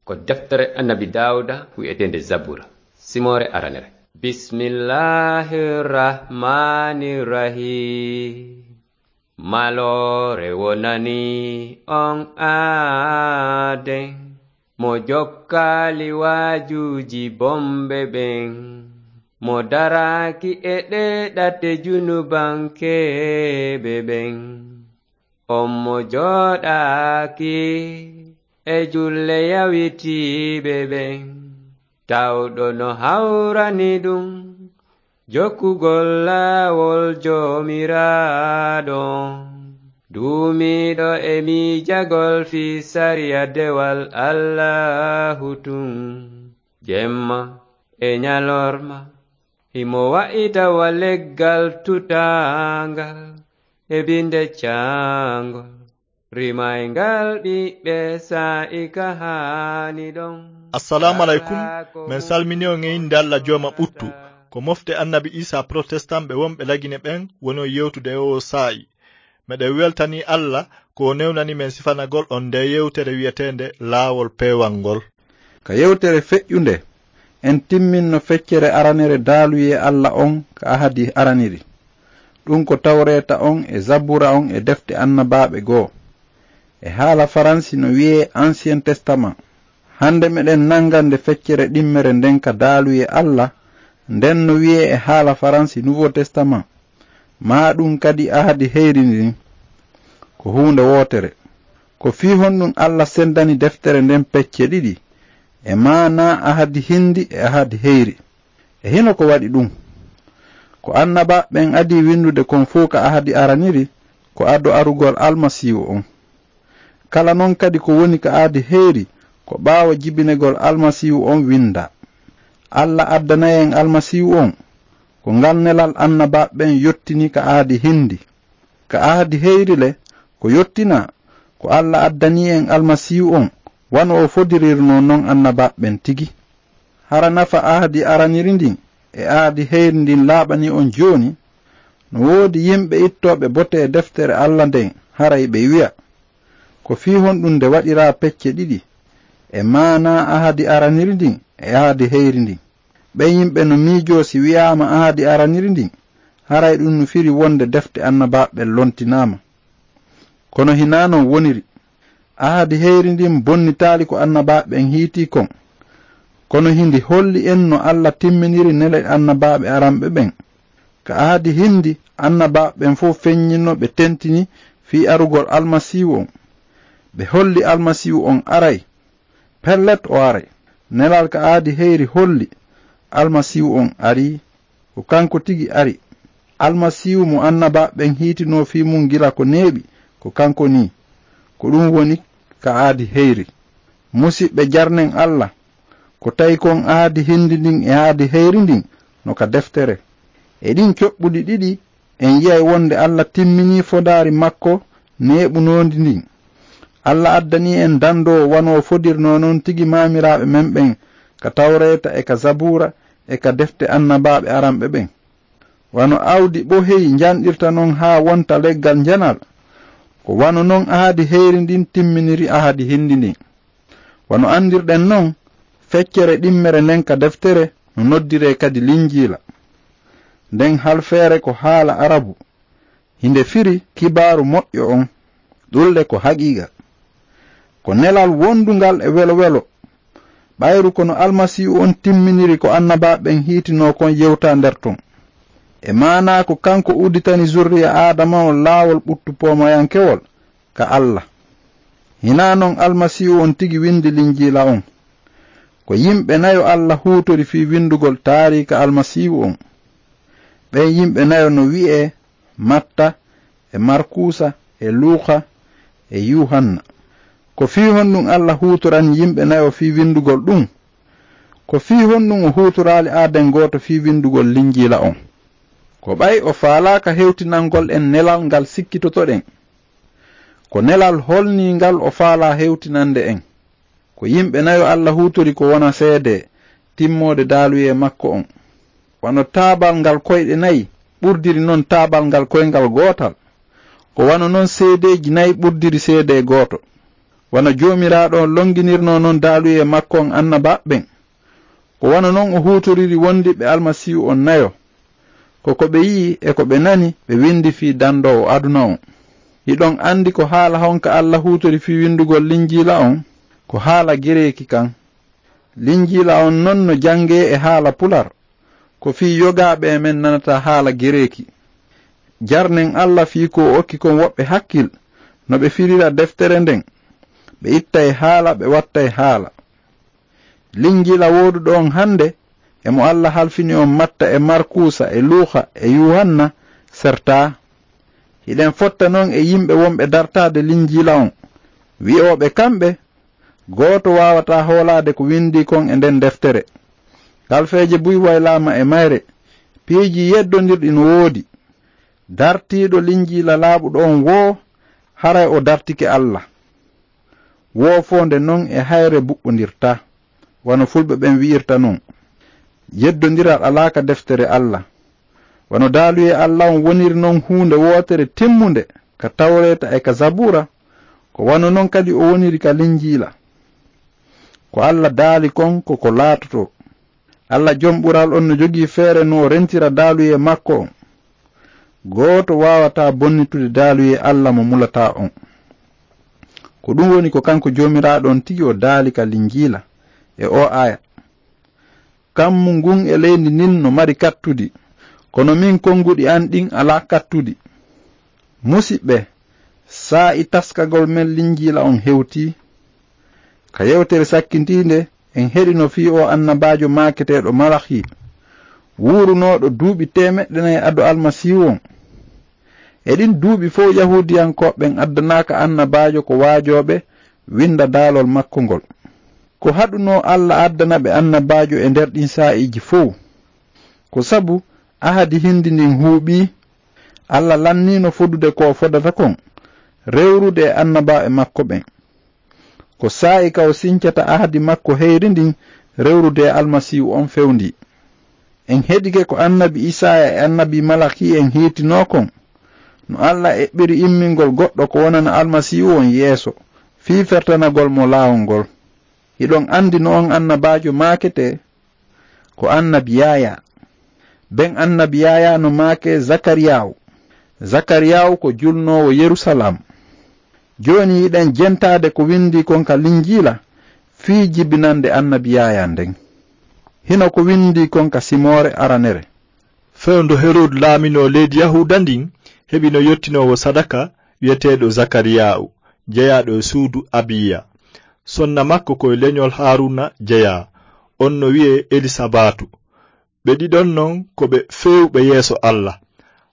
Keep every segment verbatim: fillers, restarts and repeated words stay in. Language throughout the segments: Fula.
Ko deftere Annabi Daawuda wi'eteende Zabura, simoore aranere. Bismillahir Rahmanir Rahim. Maloore wonani on aaden, mo jokkaali waajuuji bomɓe ɓen, mo daraaki e ɗee ɗate junubankeeɓe ɓen. On mo jooɗaaki e julle yawitiiɓe ɓen, tawɗo no hawrani ɗum jokkugol laawol Joomiraaɗo, duumiiɗo e miijagol fii sariya dewal Allaahu tun, jemma e ñalorma. Himo wa'ita wa leggal tutaangal e binde caangol, rimayngal ɓiɓɓe saa'i ka haani ɗon. Assalaamu aleykum. Men salmini on e innde Alla Jooma ɓuttu. Ko mofte Annabi Iisaa Protestant ɓe wonɓe Lagine ɓen woni on yewtude e oo saa'i. Meɗen weltanii Alla ko o newnani men sifanagol on ndee yewtere wi'eteende Laawol Peewal ngol. Ka yewtere feƴƴunde, en timminno feccere aranere daaluyee Alla on ka ahadi araniri. Ɗun ko Tawreeta on e Zabuura on e defte annabaaɓe goo. E haala Faransi no wi'ee Ancien Testament. Hande meɗen nanga nde feccere ɗimmere nden ka daaluyee Alla, nden no wi'ee e haala Faransi Nouveau Testament. Maa ɗun kadi ahadi heyri ndin. Ko huunde wootere. Ko fii honɗun Alla sendani deftere nden pecce ɗiɗi, e maanaa ahadi hindi e ahadi heyri? E hino ko waɗi ɗun? Ko annabaaɓe ɓen adii windude kon fow ka ahadi araniri, ko ado arugol Almasiihu on. Kala non kadi ko woni ka ahadi heyri, ko ɓaawo jibinegol Almasiihu on windaa. Alla addanay en Almasiihu on, ko ngal nelal annabaaɓe ɓen yottini ka ahadi hindi. Ka ahadi heyri le, ko yottinaa, ko Alla addanii en Almasiihu on, wano o fodirirnoo non annabaaɓe ɓen tigi. Hara nafa ahadi araniri ndin e ahadi heyri ndin laaɓanii on jooni? No woodi yimɓe ittooɓe bote e deftere Alla nden, haray ɓe wi'a, ko fii honɗun nde waɗiraa pecce ɗiɗi, e maanaa ahadi araniri ndin e ahadi heyri ndin? Ɓen yimɓe no miijoo si wi'aama ahadi araniri ndin, haray ɗun no firi wonde defte annabaaɓe ɓen lontinaama. Kono hinaa non woniri. Ahadi heyri ndin bonnitaali ko annabaaɓe ɓen hiitii kon. Kono hindi holli en no Alla timminiri nele annabaaɓe aranɓe ɓen. Ka ahadi hindi, annabaaɓe ɓen fow feññinno ɓe tentini fii arugol Almasiihu on. Ɓe holli Almasiihu on aray. Pellet o aray. Nelal ka ahadi heyri holli Almasiihu on arii. Ko kanko tigi ari. Almasiihu mo annabaaɓe ɓen hiitinoo fii mun gila ko neeɓi, ko kanko nii. Ko ɗun woni ka ahadi heyri. Musiɓɓe, jarnen Alla, ko tawi kon ahadi hindi ndin e ahadi heyri ndin no ka deftere. E ɗin coɓɓuɗi ɗiɗi, en yi'ay wonde Alla timminii fodaari makko neeɓunoondi ndin. Alla addanii en dandoowo wano o fodirnoo non tigi maamiraaɓe men ɓen ka Tawreeta e ka Zabuura e ka defte annabaaɓe aranɓe ɓen. Wano awdi ɓoheyi njanɗirta non haa wonta leggal njanal, ko wano non ahadi heyri ndin timminiri ahadi hindi ndin. Wano anndirɗen non, feccere ɗimmere nden ka deftere no noddiree kadi Linjiila. Nden halfeere ko haala Arabu. Hinde firi kibaaru moƴƴo on. Ɗun le ko haqiiqa. Ko nelal wondungal e welo-welo. Ɓayru ko no Almasiihu on timminiri ko annabaaɓe ɓen hiitinoo kon yewtaa nder ton. E maanaa ko kanko udditani zurriya Aadama on laawol ɓuttu poomayankewol ka Alla. Hinaa non Almasiihu on tigi windi Linjiila on. Ko yimɓe nayo Alla huutori fii windugol taariika Almasiihu on. Ɓen yimɓe nayo no wi'ee Matta, e Markuusa, e Luuka, e Yuuhanna. Ko fii honɗun Alla huutorani yimɓe nayo fii windugol ɗun? Ko fii honɗun o huutoraali aaden gooto fii windugol Linjiila on? Ko ɓay o faalaaka hewtinangol en nelal ngal sikkitotoɗen. Ko nelal holniingal o faalaa hewtinande en? Ko yimɓe nayo Alla huutori ko wona seedee timmoode daaluyee makko on. Wano taabal ngal koyɗe nayi ɓurdiri non taabal ngal koyngal gootal, ko wano non seedeeji nayi ɓurdiri seedee gooto. Wano Joomiraaɗo on longinirnoo non daaluyee makko on annabaaɓe ɓen, ko wano non o huutoriri wondiɓɓe Almasiihu on nayo. Ko ko ɓe yi'i e ko ɓe nani ɓe windi fii dandoowo aduna on. Hiɗon andi ko haala honka Alla huutori fii windugol Linjiila on? Ko haala Gereeki kan. Linjiila on non no jangee e haala Pular. Ko fii yogaaɓe e men nanata haala Gereeki. Jarnen Alla fii ko o okki kon woɓɓe hakkil no ɓe firira deftere nden. Ɓe ittay haala, ɓe wattay haala. Linjiila wooduɗo on hande, e mo Alla halfini on Matta e Markuusa e Luuka e Yuuhanna, sertaa. Hiɗen fotta non e yimɓe wonɓe dartaade Linjiila on, wi'ooɓe kamɓe, gooto waawataa hoolaade ko windii kon e nden deftere. Kalfeeje buy waylaama e mayre, piiji yeddondirɗi no woodi. Dartiiɗo Linjiila laaɓuɗo on woo, haray o dartike Alla. Woofoonde non e hayre buɓɓondirtaa, wano fulɓe ɓen wi'irta non. Yeddondiral alaa ka deftere Alla. Wano daaluyee Alla on woniri non huunde wootere timmunde ka Tawreeta e ka Zabuura, ko wano non kadi o woniri ka Linjiila. Ko Alla daali kon ko ko laatotoo. Alla Jom Ɓural on no jogii feere no o rentira daaluyee makko on. Gooto waawataa bonnitude daaluyee Alla mo mulataa on. Ko ɗum woni ko kanko Joomiraaɗo on tigi o daali ka Linjiila e oo aaya. Kammu ngun e leydi ndin no mari kattudi, kono min konguɗi an ɗin alaa kattudi. Musiɓɓe, saa'i taskagol men Linjiila on hewtii. Ka yewtere sakkintiinde, en heɗino fii oo annabaajo maaketeeɗo Malaki, wuurunooɗo duuɓi teemeɗɗe nayi ado Almasiihu on. E ɗin duuɓi fow Yahuudiyankooɓe ɓen addanaaka annabaajo ko waajooɓe winda daalol makko ngol. Ko haɗunoo Alla addana ɓe annabaajo e nder ɗin saa'iiji fow? Ko sabu ahadi hindi ndin huuɓii, Alla lanniino fodude ko o fodata kon, rewrude e annabaaɓe makko ɓen. Ko saa'i ka o sincata ahadi makko heyri ndin rewrude e Almasiihu on fewndii. En heɗike ko annabi Isaaya e annabi Malaki en hiitinoo kon, no Alla eɓɓiri immingol goɗɗo ko wonana Almasiihu on yeeso, fii fertanagol mo laawol ngol. Hiɗon andi no on annabaajo maaketee? Ko annabi Yaayaa. Ben annabi Yaayaa no maakee Zakariyaawu. Zakariyaawu ko julnoowo Yerusalaam. Jooni hiɗen jentaade ko windii kon ka Linjiila fii jibinande annabi Yaayaa nden. Hino ko windii kon ka simoore aranere. Fewndo Herod laaminoo leydi Yahuuda ndin, heɓino yottinoowo sadaka wi'eteeɗo Zakariyaawu, jeyaaɗo e suudu Abiya. Sonna makko ko e lenyol Haaruuna jeyaa, on no wi'ee Elisabaatu. Ɓe ɗiɗon non ko ɓe feewɓe yeeso Alla.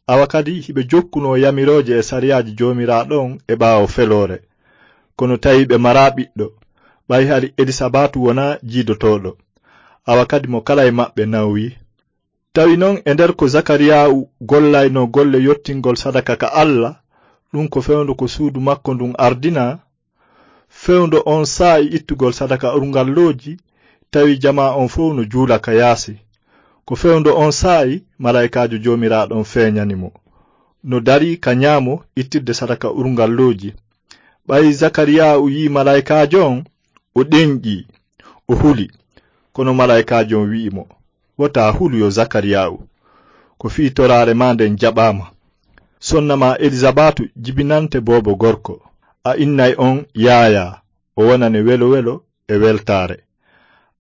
Awa kadi hiɓe jokkunoo yamirooje e sariyaaji Joomiraaɗo on e ɓaawo feloore. Kono tawi ɓe maraa ɓiɗɗo, ɓay hari Elisabaatu wonaa jiidotooɗo. Awa kadi mo kala e maɓɓe nawyi. Tawi non e nder ko Zakariyaawu gollaynoo golle yottingol sadaka ka Alla, ɗum ko fewndo ko suudu makko ndun ardinaa, fewndo on saa'i ittugol sadaka urngallooji, tawi jamaa on fow no juula ka yaasi. Ko fewndo on saa'i malaa'ikaajo Joomiraaɗo on feeñani mo, no darii ka ɲaamo ittirde sadaka urngallooji. Ɓay Zakariyaawu yi'i malaa'ikaajo on, o ɗenƴii, o huli. Kono malaa'ikaajo on wi'i mo, "Wota hulu yo Zakariyaawu, ko fii toraare maa nden jaɓaama. Sonna maa Elizabaatu jibinante boobo gorko, a innay on Yaayaa, o wonane welo-welo e weltaare.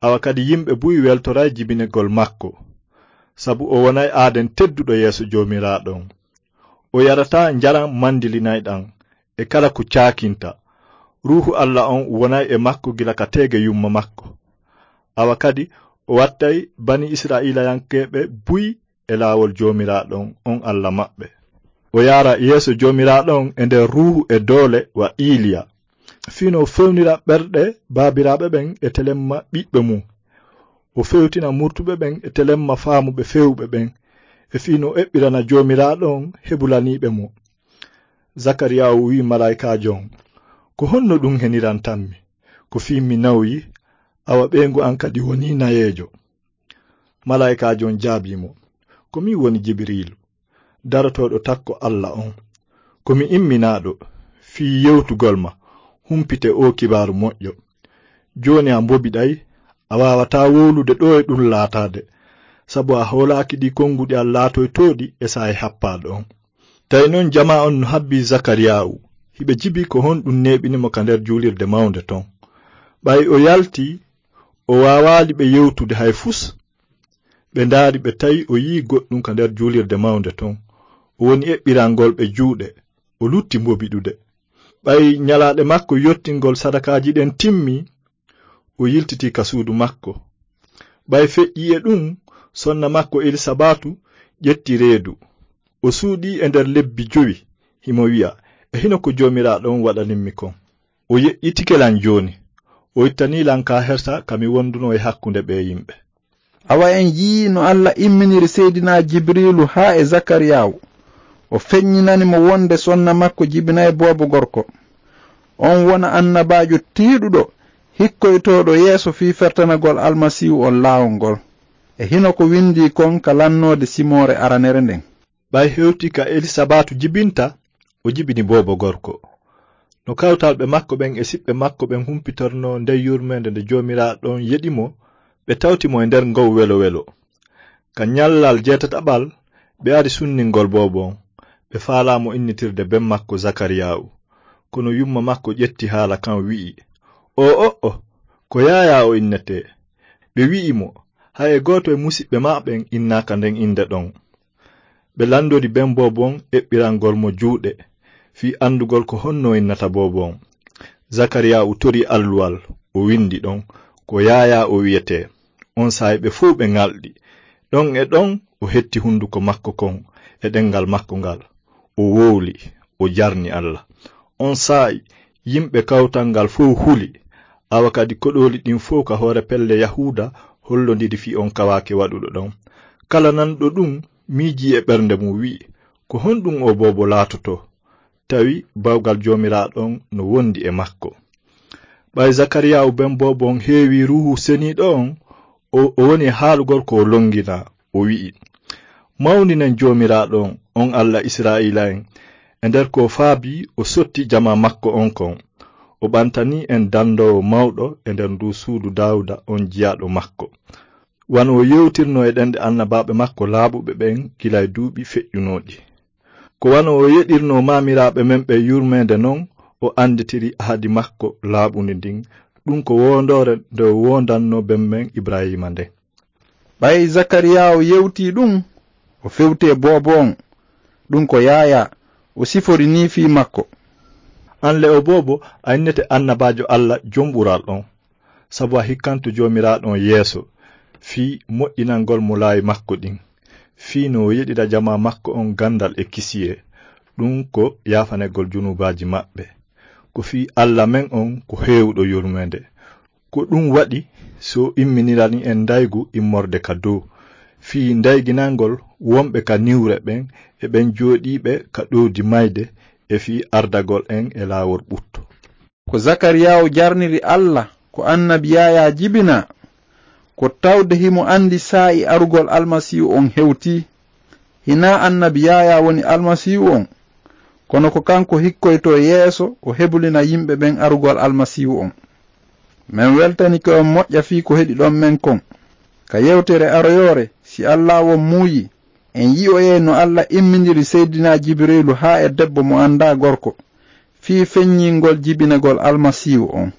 Awa kadi yimɓe buy weltoray jibinegol makko, sabu o wonay aaden tedduɗo yeeso Joomiraaɗo on. O yarataa njaram mandilinayɗam e kala ko caakinta. Ruuhu Alla on wonay e makko gila ka teege yumma makko. Awa kadi o wattay bani Isra'iilayankeeɓe buy e laawol Joomiraaɗo on, on Alla maɓɓe. O yaara yeeso Joomiraaɗo on e nder ruuhu e doole wa Iiliya. Fii no o fewnira ɓerɗe baabiraaɓe ɓen e telemma ɓiɓɓe mum. O fewtina murtuɓe ɓen e telemma faamuɓe feewɓe ɓen. E fii no o eɓɓirana Joomiraaɗo on hebulaniiɓe mo." Zakariyaawu wi'i malaa'ikaajo on, "Ko honno ɗum henirantammi? Ko fii mi nawyi, awa ɓeyngu an kadi wonii nayeejo." Malaa'ikaajo on jaabii mo, "Ko min woni Jibiriilu, darotooɗo takko Alla on. Ko mi imminaaɗo fii yewtugol ma, humpite oo kibaaru moƴƴo. Jooni a mbobiɗay, a waawataa wowlude ɗo e ɗum laataade, sabu a hoolaaki ɗi konnguɗi am laatoytooɗi e saa'i happaaɗo on. Tawi non jamaa on no habbii Zakariyaawu, hiɓe jibi ko honɗum neeɓini mo ka nder juulirde mawnde ton. Ɓay o yalti, o waawaali ɓe yewtude hay fus. Ɓe ndaari ɓe tawi o yi'i goɗɗum ka nder juulirde mawnde ton. O woni eɓɓirangol ɓe juuɗe, o lutti mbobiɗude. Ɓay nyalaaɗe makko yottingol sadakaaji ɗen timmi, o yiltiti ka suudu makko. Ɓay feƴƴi e ɗum, sonna makko Elisabatu ƴetti reedu. O suuɗii e nder lebbi jowi, himo wi'a, "E hino ko Joomiraaɗo on waɗanimmi kon. O yeƴƴitike lan jooni. O ittanii lan ka hersa ka mi wondunoo e hakkunde ɓee yimɓe." Awa en yi'ii no Alla imminiri Seydinaa Jibriilu haa e Zakariyaawu. O feññinani mo wonde sonna makko jibinay boobo gorko. On wona annabaajo tiiɗuɗo, hikkoytooɗo yeeso fii fertanagol Almasiihu on laawol ngol. E hino ko windii kon ka lannoode simoore aranere nden. Ɓay hewti ka Elisabatu jibinta, o jibini boobo gorko. No kawtalɓe makko ɓen e siɓɓe makko ɓen humpitornoo ndey yurmeende nde Joomiraaɗo on yeɗi mo, ɓe tawti mo e nder ngow welo-welo. Ka ñallal jeetataɓal, ɓe ari sunningol boobo on. Ɓe faalaa mo innitirde ben makko Zakariyaawu. Kono yumma makko ƴetti haala kan wi'i, "O, o, o, ko Yaayaa o innetee." Ɓe wi'i mo, "Hay e gooto e musiɓɓe maa ɓen innaaka nden innde ɗon." Ɓe landori ben boobo on eɓɓirangol mo juuɗe, fii andugol ko honno o innata boobo on. Zakariyaawu tori alluwal, o windi ɗon, "Ko Yaayaa o wi'etee." On saa'i ɓe fow ɓe ŋalɗi. Ɗon e ɗon o hetti hunduko makko kon e ɗengal makko ngal. O wowli, o jarni Alla. On saa'i yimɓe kawtal ngal fow huli. Awa kadi koɗooli ɗin fow ka hoore pelle Yahuuda hollondiri fii on kawaake waɗuɗo ɗon. Kala nanɗo ɗum miijii e ɓernde mum wi'i, "Ko honɗum oo boobo laatotoo? Tawi bawgal Joomiraaɗo on no wondi e makko." Ɓay Zakariyaawu ben boobo on heewii Ruuhu Seniiɗo on, o, o woni e haalugol ko o longinaa, o wi'i, "Mawninen Joomiraaɗo on, on Alla Israa'iila'en, e nder ko o faabii o sotti jamaa makko on kon. O ɓantanii en dandoowo mawɗo e nder nduu suudu Daawuda on jiyaaɗo makko. Wano o yewtirnoo e ɗenɗe annabaaɓe makko laaɓuɓe ɓen gila e duuɓi feƴƴunooɗi. Ko wano o yeɗirnoo maamiraaɓe men ɓen yurmeende non, o anditiri ahadi makko laaɓundi ndin, ɗum ko woondoore nde o woondannoo ben men Ibraahiima nden." Ɓay Zakariyaawu yewtii ɗum, o fewti e boobo on, ɗum ko Yaayaa, o sifori nii fii makko. "An le o boobo, a innete annabaajo Alla jom ɓural on, sabu a hikkanto Joomiraaɗo on yeeso fii moƴƴinangol mo laawi makko ɗin, fii no o yeɗira jamaa makko on gandal e kisiyee, ɗum ko yaafanegol junuubaaji maɓɓe. Ko fii Alla men on ko heewuɗo yurmeende. Ko ɗum waɗi si o imminirani en ndaygu immorde ka dow, fii ndayginangol wonɓe ka niwre ɓen e ɓen jooɗiiɓe ka ɗowdi mayde, e fii ardagol en e laawol ɓutto." Ko Zakariyaawu jarniri Alla ko annabi Yaayaa jibinaa, ko tawde himo andi saa'i arugol Almasiihu on hewtii. Hinaa annabi Yaayaa woni Almasiihu on, kono ko kanko hikkoytoo yeeso o hebulina yimɓe ɓen arugol Almasiihu on. Men weltanike on moƴƴa fii ko heɗi ɗon men kon. Ka yewtere aroyoore, si Allaahu on muuyii, en yi'oyay no Alla imminiri Seydinaa Jibiriilu haa e debbo mo andaa gorko, fii feññingol jibinagol Almasiihu on.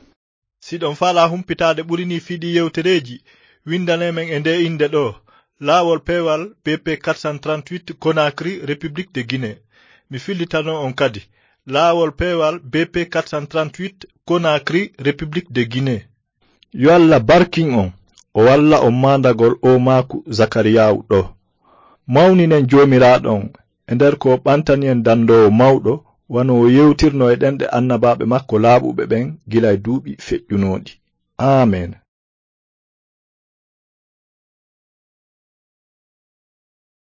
Si ɗon faalaa humpitaade ɓuri nii fii ɗii yewtereeji, windanee men e ndee innde ɗoo, Laawol Peewal B P quatre cent trente-huit, Conakry, République de Guinée. Mi fillitanoo on kadi, Laawol Peewal B P quatre cent trente-huit, Conakry, République de Guinée. Yo Alla barkin on, o walla on maandagol oo maaku Zakariyaawu ɗoo. Mawninen Joomiraaɗo on e nder ko o ɓantani en dandoowo mawɗo, wano o yewtirnoo e ɗenɗe annabaaɓe makko laaɓuɓe ɓen gila e duuɓi feƴƴunooɗi. Amen.